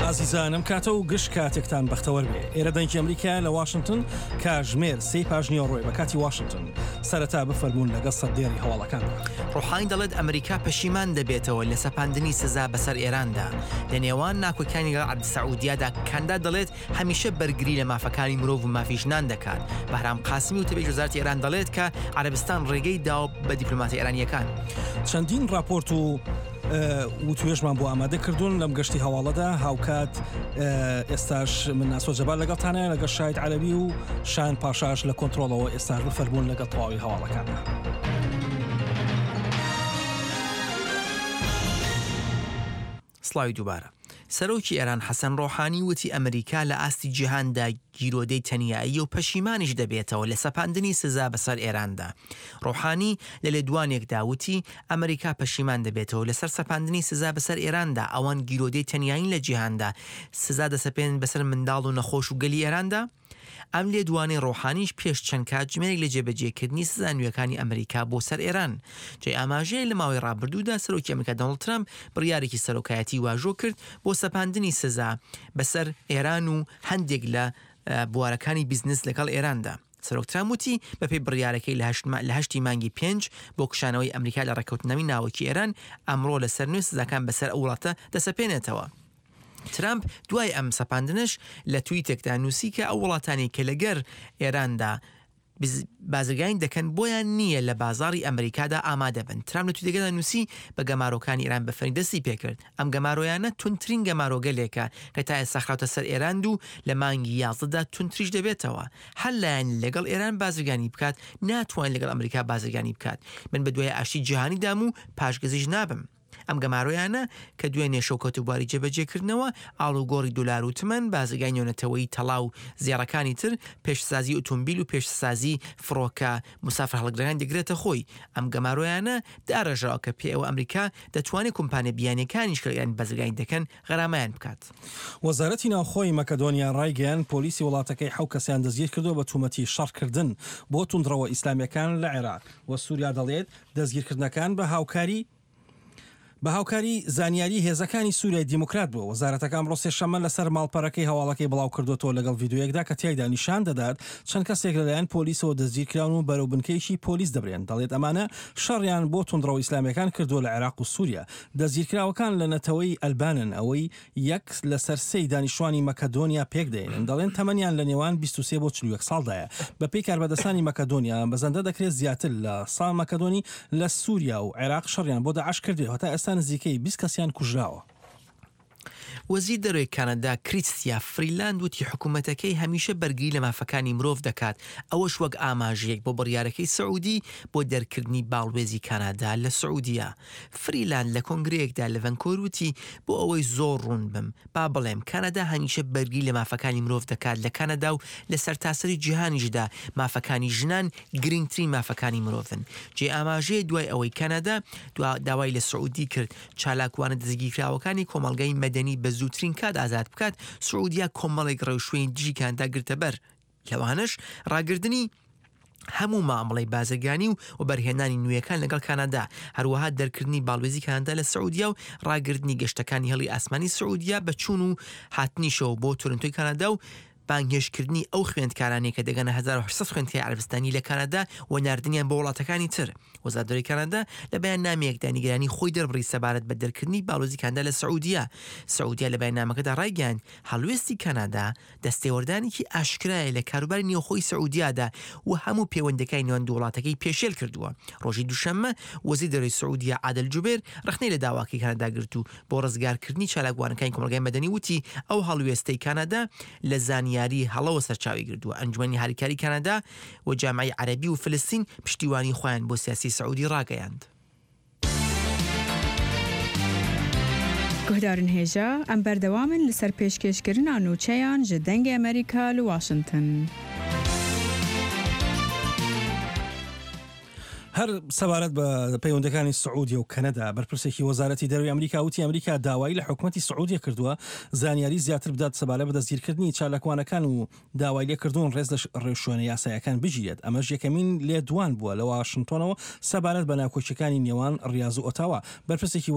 ئازیزانم کاتە و گشت کاتێکتان بەختەوەر بێ ئێرە دەنگی ئەمریکا لە واشنگتن کاژمێر سێی پاش نیوەڕۆیە بە کاتی واشنگتن سەرەتا بفەرموون لەگەڵ سەردێڕی هەواڵەکاندا. ڕۆحانی دەڵێت ئەمریکا پەشیمان دەبێتەوە لە سەپاندنی سزا بەسەر ئێراندا. لە نێوان ناکۆکیانی لەگەڵ عەرەبی سەعودیادا کەندا دەڵێت هەمیشە بەرگری لە مافەکانی مرۆڤ و مافی ژنان دەکات. بەهرام قاسمی وتەبێژی وەزارەتی ئێران دەڵێت کە عەرەبستان ڕێگەی داوە بە دیپلۆماتە ئێرانییەکان. چەندین ڕاپۆرت و وتوێژمان بۆ ئامادە کردوون لەم گەشتی هەواڵەدا هاوکات ئێستاش من ناسۆ جەبار لەگەڵتانە لەگەڵ شاید عەرەبی و شان پاشاش لە کۆنتترۆڵەوە ئێستاش بفەرمونون لەگەڵ تەواوی هەواڵەکاندا. سڵاوی دووبارە. سەرۆکی ئێران حەسەن ڕۆحانی وتی ئەمریکا لە ئاستی جیهاندا گیرۆدەی تەنیاییە و پەشیمانیش دەبێتەوە لە سەپاندنی سزا بەسەر ئێراندا. ڕۆحانی لە لێدوانێکدا وتی ئەمریکا پەشیمان دەبێتەوە لەسەر سەپاندنی سزا بەسەر ئێراندا، ئەوان گیرۆدەی تەنیایین لە جیهاندا، سزا دەسەپێنن بەسەر منداڵ و نەخۆش و گەلی ئێراندا. ئەم لێدوانەی ڕۆحانیش پێش چەند کاتژمێرێک لە جێبەجێکردنی سزا نوێکانی ئەمریکا بۆ سەر ئێران جێی ئاماژەیە لە ماوەی ڕابردوودا سەرۆکی ئەمریکا دۆناڵد ترەمپ بڕیارێکی سەرۆکایەتی واژۆ کرد بۆ سەپاندنی سزا بەسەر ئێران و هەندێک لە بوارەکانی بیزنس لەگەڵ ئێراندا. سەرۆک ترامپ وتی بەپێی بڕیارەکەی لە هەشتی مانگی پێنج بۆ کشانەوەی ئەمریکا لە ڕێککەوتننامەی ناوەکی ئێران، ئەمڕۆ لەسەر نوێ سزاکان بەسەر ئەو وڵاتە دەسەپێنێتەوە. ترامپ دوای ئەم سەپاندنەش لە تویتێکدا نووسی کە ئەو وڵاتانەی کە لەگەر ئێراندا بازرگانی دەکەن بۆیان نییە لە بازاڕی ئەمریکادا ئامادە بن. ترامپ لە تویتەکەدا نووسی بە گەمارۆکانی ئێران بە فەرمی دەستی پێکرد. ئەم گەمارۆیانە توندترین گەمارۆگەلێکە کە تا ئێستا خراوتە سەر ئێراند و لە مانگی یازدەدا توندتریش دەبێتەوە. هەر لایەن لەگەڵ ئێران بازرگانی بکات ناتوانێت لەگەڵ ئەمریکا بازرگانی بکات. من بەدوای ئاشتی جیهانیدام و پاشگەزیش نابم. ئەم گەمارۆیانە کە دوێنێ شەو کەوتە بواری جێبەجێکردنەوە، ئاڵوگۆڕی دۆلار و تمەن، بازرگانی نێونەتەوەیی تەڵا و زێڕەکانی تر، پێشسازی ئوتومبیل و پێشسازی فڕۆکە موسافرهەڵگرەکان دەگرێتە خۆی. ئەم گەمارۆیانە داڕێژراوە کە پێیەوە ئەمریکا دەتوانێت کۆمپانیا بیانییەکانیش کە لە ئێران بازرگانی دەکەن غەرامەیان بکات. وەزارەتی ناوخۆی مەکەدۆنیا ڕایگەیاند، پۆلیسی وڵاتەکەی حەو کەسیان دەستگیرکردووە بە تومەتی شەڕکردن بۆ توندڕەوە ئیسلامییەکان لە عێراق و سوریا، دەڵێت، دەستگیرکردنەکان بە هاوکاری بە هاوکاری زانیاری هێزەکانی سوریای دیموکرات بووە. وەزارەتەکە ئەمڕۆ سێشەممە لەسەر ماڵپەرەکەی هەواڵەکەی بڵاوکردووەتەوە لەگەڵ ڤیدیۆیەکدا کە تیایدا نیشان دەدات چەند کەسێک لەلایەن پۆلیسەوە دەستگیرکراون و بەرەو بنکەیەکی پۆلیس دەبرێن. دەڵێت ئەمانە شەڕیان بۆ توندڕەوە ئیسلامییەکان کردووە لە عێراق و سوریا. دەستگیرکراوەکان لە نەتەوەی ئەلبانن ئەوەی یەک لەسەر سێی دانیشتوانی مەکەدۆنیا پێکدەهێنن، دەڵێن تەمەنیان لە نێوان 23 بۆ 41 ساڵدایە. بەپێی کاربەدەستانی مەکەدۆنیا، مەزەندە دەکرێت زیاتر لە سا مەکەدۆنی لە سوریا و عێراق شەڕیان بۆ داعش کردبێت و هەتا ئێستا نزیکەی 20 کەسیان کوژراوە. وەزیر دەرەوەی کانەدا کریستیا فریلاند وتی حکومەتەکەی هەمیشە بەرگری لە مافەکانی مرۆڤ دەکات، ئەوەش وەک ئاماژەیەک بۆ بڕیارەکەی سعودی بۆ دەرکردنی باڵوێزی کانادا لە سعودیە. فریلاند لە کۆنگرەیەکدا لە ڤەنکۆر وتی، بۆ ئەوەی زۆر ڕوون بم، با بڵێم، کانەدا هەمیشە بەرگری لە مافەکانی مرۆڤ دەکات لە کانەدا و لە سەرتاسەری جیهانیشدا مافەکانی ژنان گرنگترین مافەکانی مرۆڤن. جێی ئاماژەیە دوای ئەوەی کانەدا داوای لە سعودی کرد چالاکوانە دەستگیرکراوەکانی کۆمەڵگای مەدەنی بە زووترین کات ئازاد بکات، سعودیا کۆمەڵێک ڕێوشوێنی دژی کانەدا گرتەبەر، لەوانەش ڕاگردنی هەموو مامەڵەی بازرگانی و وەبەرهێنانی نوێیەکان لەگەڵ کانادا، هەروەها دەرکردنی باڵوێزی کانادا لە سعودیا و ڕاگرتنی گەشتەکانی هێڵی ئاسمانی سعودیا بە چوون و هاتنیشەوە بۆ تورنتۆی کانادا و بانگهێشتکردنی ئەو خوێندکارانەی کە دەگەنە 1800 خوێندکاری عەرەبستانی لە کانادا و ناردنیان بۆ وڵاتەکانی تر. وەزارەتی دەرەوەی کانادا لە بەیاننامەیەکدا نیگەرانی خۆی دەربڕی سەبارەت بە دەرکردنی باڵوێزی کانادا لە سعودیا. سعودیا لە بەیاننامەکەدا ڕایگەیاند، هەڵوێستی کانادا دەستێوەردانێکی ئاشکرایە لە کاروباری نێوخۆی سعودیادا و هەموو پێوەندیەکانی نێوان دوو وڵاتەکەی پێشێل کردووە. ڕۆژی دووشەممە وەزیری دەرەوەی سعودیە عادل جوبێر ڕەخنەی لە داواکەی کانادا گرت و بۆ ڕزگارکردنی چالاکوانەکانی کۆمەڵگای مەدەنی وتی ئەو هەڵوێستەی کانادا لە زانیاری هەڵەوە سەرچاوەی گرتووە. ئەنجومەنی هاریکاری کانادا و جامعەی عەرەبی و فلستین پشتیوانی خۆیان بۆ سیاسی سعودی ڕاگەیاند. Guhdarên hêja, em berdewam in li ser pêşkêşkirina nûçeyan ji Dengê Amerîka li Washington. هەر سەبارەت بە پەیوەندەکانی سعودیە و کەنەدا بەرپرسێکی وەزارەتی دەروی ئەمریکا وتی ئەمریکا داوای لە حکومەتی سعودیە کردووە زانیاری زیاتر بدات سەبارەت بە دەستگیرکردنی چالاکوانەکان و داوای لێکردوون ڕێز لە ڕێوشوێنە یاسایەکان بگیرێت، ئەمەش یەکەمین لێدوان بووە لە واشنتۆنەوە سەبارەت بە ناکۆکییەکانی نێوان ڕیاز و ئۆتاوا. بەرپرسێکی.